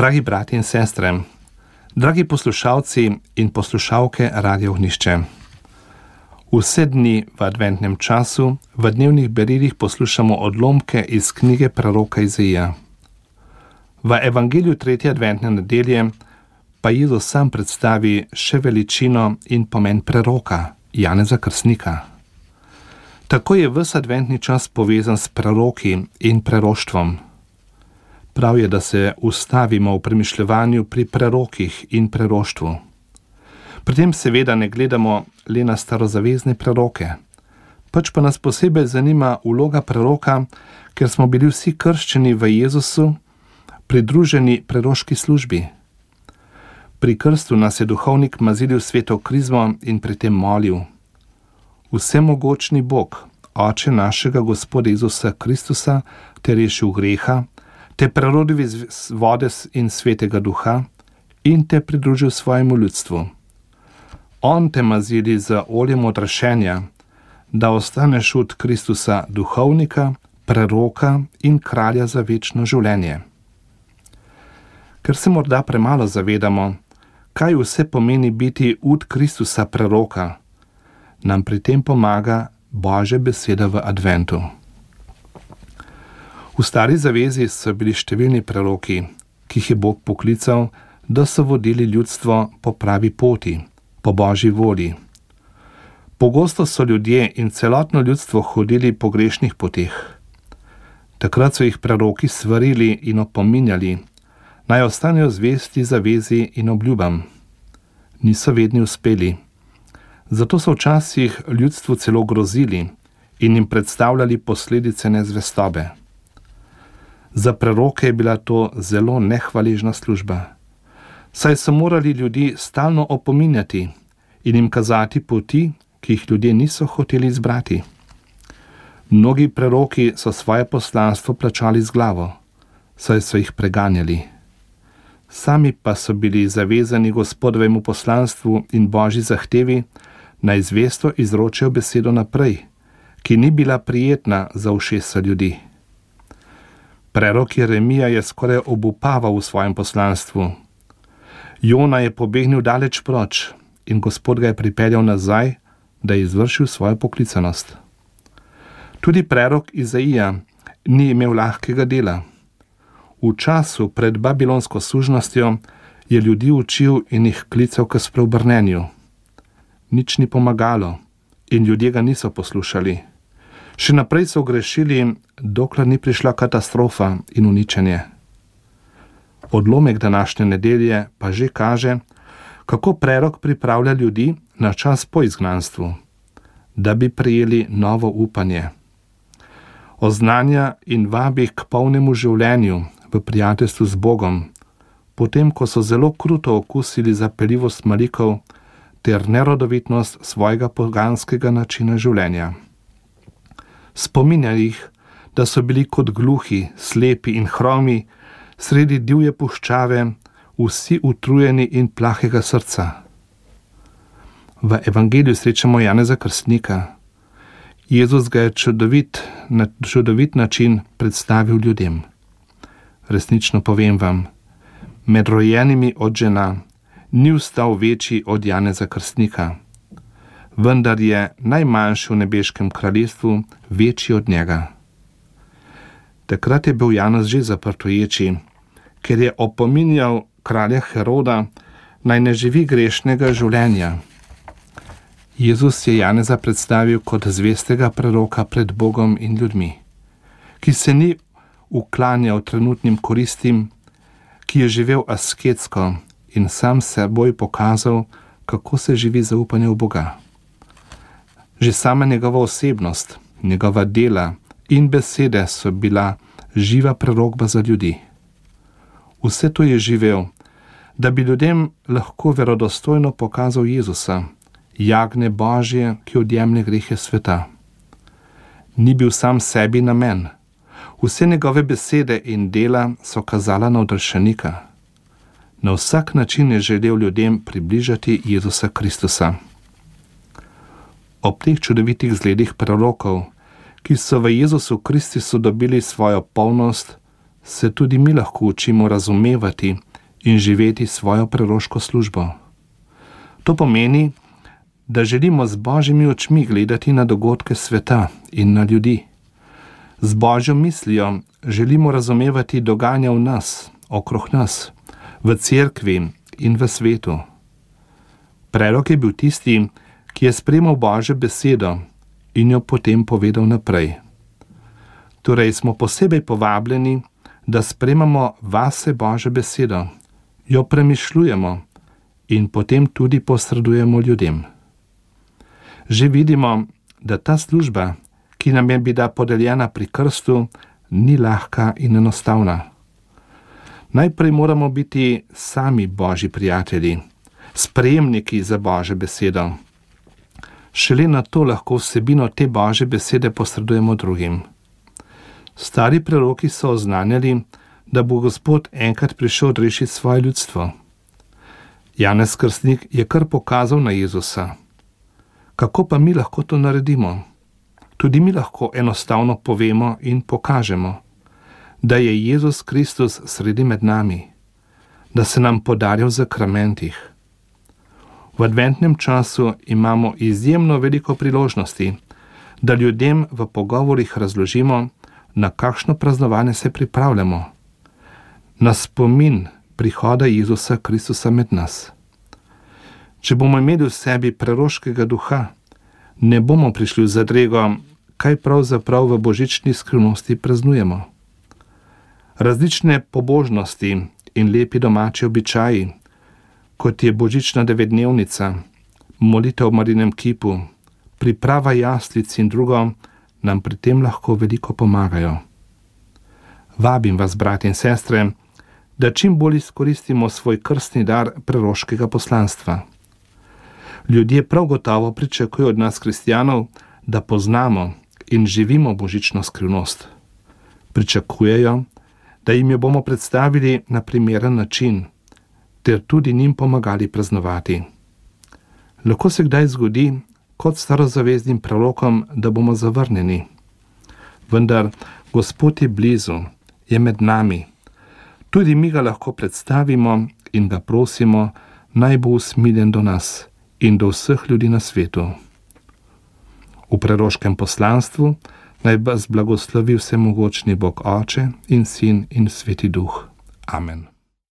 Dragi brati in sestre, dragi poslušalci in poslušalke Radio Ognjišče. Vse dni v adventnem času v dnevnih beredih poslušamo odlomke iz knjige preroka Izaija. V evangeliju 3. adventne nedelje pa Jezus sam predstavi še veličino in pomen preroka Janeza Krstnika. Tako je ves adventni čas povezan s preroki in preroštvom. Prav je, da se ustavimo v premišljevanju pri prerokih in preroštvu. Pri tem seveda ne gledamo le na starozavezne preroke, pač pa nas posebej zanima vloga preroka, ker smo bili vsi krščeni v Jezusu, pridruženi preroški službi. Pri krstu nas je duhovnik mazilil sveto krizmo in pri tem molil: Vsemogočni Bog, Oče našega Gospoda Jezusa Kristusa, te rešil greha, te prerodil iz vode in svetega duha in te pridružil svojemu ljudstvu. On te mazili z oljem odrašenja, da ostaneš od Kristusa duhovnika, preroka in kralja za večno življenje. Ker se morda premalo zavedamo, kaj vse pomeni biti od Kristusa preroka, nam pri tem pomaga Božja beseda v adventu. V stari zavezi so bili številni preroki, ki jih je Bog poklical, da so vodili ljudstvo po pravi poti, po Božji volji. Pogosto so ljudje in celotno ljudstvo hodili po grešnih poteh. Takrat so jih preroki svarili in opominjali, naj ostanejo zvesti zavezi in obljubam. Niso vedno uspeli. Zato so včasih ljudstvu celo grozili in jim predstavljali posledice nezvestobe. Za preroke je bila to zelo nehvaležna služba, saj so morali ljudi stalno opominjati in jim kazati poti, ki jih ljudje niso hoteli izbrati. Mnogi preroki so svoje poslanstvo plačali z glavo, saj so jih preganjali. Sami pa so bili zavezani Gospodovemu poslanstvu in Božji zahtevi, naj zvesto izročijo besedo naprej, ki ni bila prijetna za ušesa ljudi. Prerok Jeremija je skoraj obupaval v svojem poslanstvu. Jona je pobegnil daleč proč in Gospod ga je pripeljal nazaj, da je izvršil svojo poklicanost. Tudi prerok Izaija ni imel lahkega dela. V času pred babilonsko sužnostjo je ljudi učil in jih klical k spreobrnenju. Nič ni pomagalo in ljudje ga niso poslušali. Še naprej so grešili, dokler ni prišla katastrofa in uničenje. Odlomek današnje nedelje pa že kaže, kako prerok pripravlja ljudi na čas po izgnanstvu, da bi prejeli novo upanje. Oznanja in vabi k polnemu življenju v prijateljstvu z Bogom, potem ko so zelo kruto okusili zapeljivost malikov ter nerodovitnost svojega poganskega načina življenja. Spominja jih, da so bili kot gluhi, slepi in hromi sredi divje puščave, vsi utrujeni in plahega srca. V evangeliju srečamo Janeza Krstnika. Jezus ga je na čudovit način predstavil ljudem. Resnično povem vam, med rojenimi od žena ni vstal večji od Janeza Krstnika, vendar je najmanjši v nebeškem kraljestvu večji od njega. Takrat je bil Janez že zaprt v ječi, ker je opominjal kralja Heroda, naj ne živi grešnega življenja. Jezus je Janeza predstavil kot zvestega preroka pred Bogom in ljudmi, ki se ni uklanjal trenutnim koristim, ki je živel asketsko in sam seboj pokazal, kako se živi zaupanje v Boga. Že sama njegova osebnost, njegova dela in besede so bila živa prerokba za ljudi. Vse to je živel, da bi ljudem lahko verodostojno pokazal Jezusa, jagnje Božje, ki odjemlje grehe sveta. Ni bil sam sebi namen. Vse njegove besede in dela so kazala na odrešenika. Na vsak način je želel ljudem približati Jezusa Kristusa. Ob teh čudovitih zgledih prerokov, ki so v Jezusu Kristusu dobili svojo polnost, se tudi mi lahko učimo razumevati in živeti svojo preroško službo. To pomeni, da želimo z Božjimi očmi gledati na dogodke sveta in na ljudi. Z Božjo mislijo želimo razumevati dogajanja v nas, okrog nas, v cerkvi in v svetu. Prerok je bil tisti, ki je sprejemal Božjo besedo in jo potem povedal naprej. Torej smo posebej povabljeni, da sprejmemo vase Božjo besedo, jo premišljujemo in potem tudi posredujemo ljudem. Že vidimo, da ta služba, ki nam je bila podeljena pri krstu, ni lahka in enostavna. Najprej moramo biti sami Božji prijatelji, sprejemniki za Božjo besedo. Šele na to lahko vsebino te Božje besede posredujemo drugim. Stari preroki so oznanjali, da bo Gospod enkrat prišel odrešiti svoje ljudstvo. Janez Krstnik je kar pokazal na Jezusa. Kako pa mi lahko to naredimo? Tudi mi lahko enostavno povemo in pokažemo, da je Jezus Kristus sredi med nami, da se nam podarja v zakramentih. V adventnem času imamo izjemno veliko priložnosti, da ljudem v pogovorih razložimo, na kakšno praznovanje se pripravljamo, na spomin prihoda Jezusa Kristusa med nas. Če bomo imeli v sebi preroškega duha, ne bomo prišli v zadrego, kaj pravzaprav v božični skrivnosti praznujemo. Različne pobožnosti in lepi domači običaji, kot je božična devetdnevnica, molitev v Marinem kipu, priprava jaslic in drugo, nam pri tem lahko veliko pomagajo. Vabim vas, bratje in sestre, da čim bolj izkoristimo svoj krstni dar preroškega poslanstva. Ljudje prav gotovo pričakujejo od nas kristjanov, da poznamo in živimo božično skrivnost. Pričakujejo, da jim jo bomo predstavili na primeren način, ter tudi njim pomagali praznovati. Lahko se kdaj zgodi, kot starozaveznim prerokom, da bomo zavrnjeni. Vendar Gospod je blizu, je med nami. Tudi mi ga lahko predstavimo in ga prosimo, naj bo usmiljen do nas in do vseh ljudi na svetu. V preroškem poslanstvu naj vas blagoslovi vsemogočni Bog Oče in Sin in Sveti Duh. Amen.